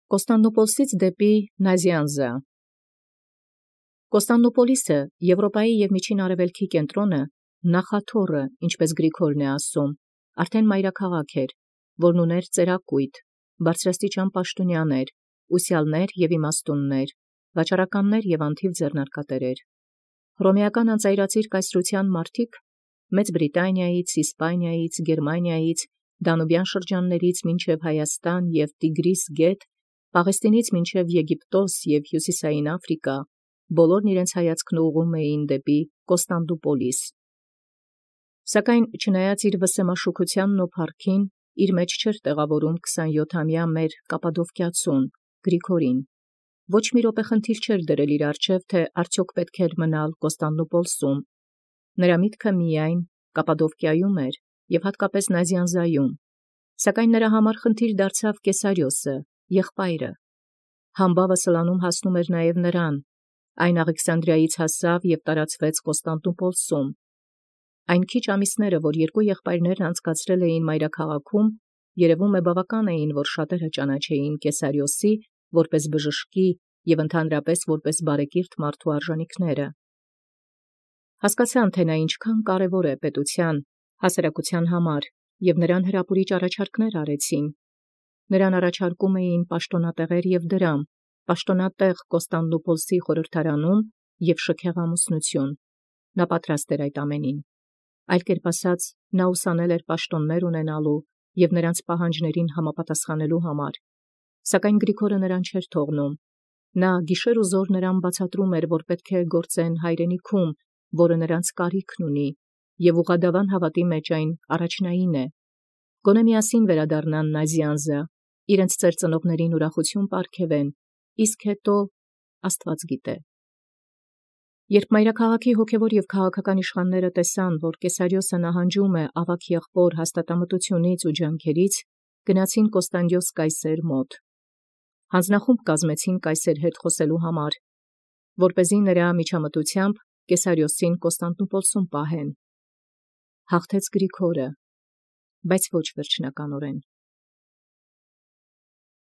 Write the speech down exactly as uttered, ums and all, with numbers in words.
Կոստանդնուպոլսից դեպի Նազյանզա։ Կոստանդնուպոլիսը Եվրոպայի և Միջին Արևելքի կենտրոնը, նախաթոռը, ինչպես Գրիգորն է ասում, արդեն մայրաքաղաք էր, որն ուներ ծերակույտ, բարձրաստիճան պաշտոնյաներ, ուսյալներ և իմաստուններ, վաճառականներ և անթիվ ձեռնարկատերեր։ Հռոմեական անծայրածիր կայսրութեան մարդիկ Մեծ Բրիտանիայից, Իսպանիայից, Գերմանիայից, Դանուբյան շրջաններից մինչև Հայաստան և Տիգրիս գետ, Պաղեստինից մինչև Եգիպտոս և Հյուսիսային Աֆրիկա, բոլորն իրենց հայացքն ուղղում էին դեպի Կոստանդնուպոլիս։ Սակայն չնայած իր վսեմաշուքությանն ու փառքին, իր մեջ չէր տեղավորում քսանյոթամյա մեր կապադովկիացուն Գրիգորին։ Ոչ մի րոպե խնդիր չէր դրել իր առջև, թե արդյոք պետք էր մնալ Կոստանդնուպոլսում։ Նրա միտքը միայն Կապադովկիայում էր և հատկապես Նազյանզայում, սակայն նրա համար խնդիր դարձավ Կեսարիոսը, եղբայրը։ Համբավը Սլանում հասնում էր նաև նրան, այն Աղեքսանդրիայից հասավ և տարածվեց Կոստանդնուպոլսում։ Այն քիչ ամիսները, որ երկու եղբայրներն անցկացրել էին մայրաքաղաքում, երևում է բավական էին, որ շատերը ճանաչեին Կեսարիոսի որպես բժշկի և ընդհանրապես որպես բարեկիրթ մարդու արժանիքները։ Հասկացան, թե նա ինչքան կարևոր է պետության, հասարակության համար, և նրան հրապուրիչ առաջարկներ արեցին։ Նրան առաջարկում էին պաշտոնատեղեր և դրամ, պաշտոնատեղ Կոստանդնուպոլսի խորհրդարանում և շքեղ ամուսնություն։ Նա պատրաստ էր այդ ամենին։ Այլ կերպ ասած, նա ուսանել էր պաշտոններ ունենալու և նրանց պահանջներին համապատասխանելու համար։ Սակայն Գրիգորը նրան չէր թողնում։ Նա գիշեր ու զօր նրան բացատրում էր, որ պետք է գործեն հայրենիքում, որը նրանց կարիքն ունի, և ուղղադավան հավատի մեջ այն առաջնային է։ Գոնե միասին վերադառնան Նազյանզա, իրենց ծերծնողներին ուրախություն պարգևեն, իսկ հետո աստված գիտե։ Երբ մայրաքաղաքի հոգևոր և քաղաքական իշխանները տեսան, որ Կեսարիոսը նահանջում է ավագ եղբոր հաստատամտությունից ու ջանքերից, գնացին Կոստանդիոս կայսեր մոտ։ Հանձնախումբ կազմեցին կայսեր հետ խոսելու համար, որպեսզի նրա միջամտությամբ Կեսարիոսին Կոստանդնուպոլսում պահեն։ Հաղթեց Գրիգորը, բայց ոչ վերջնականորեն։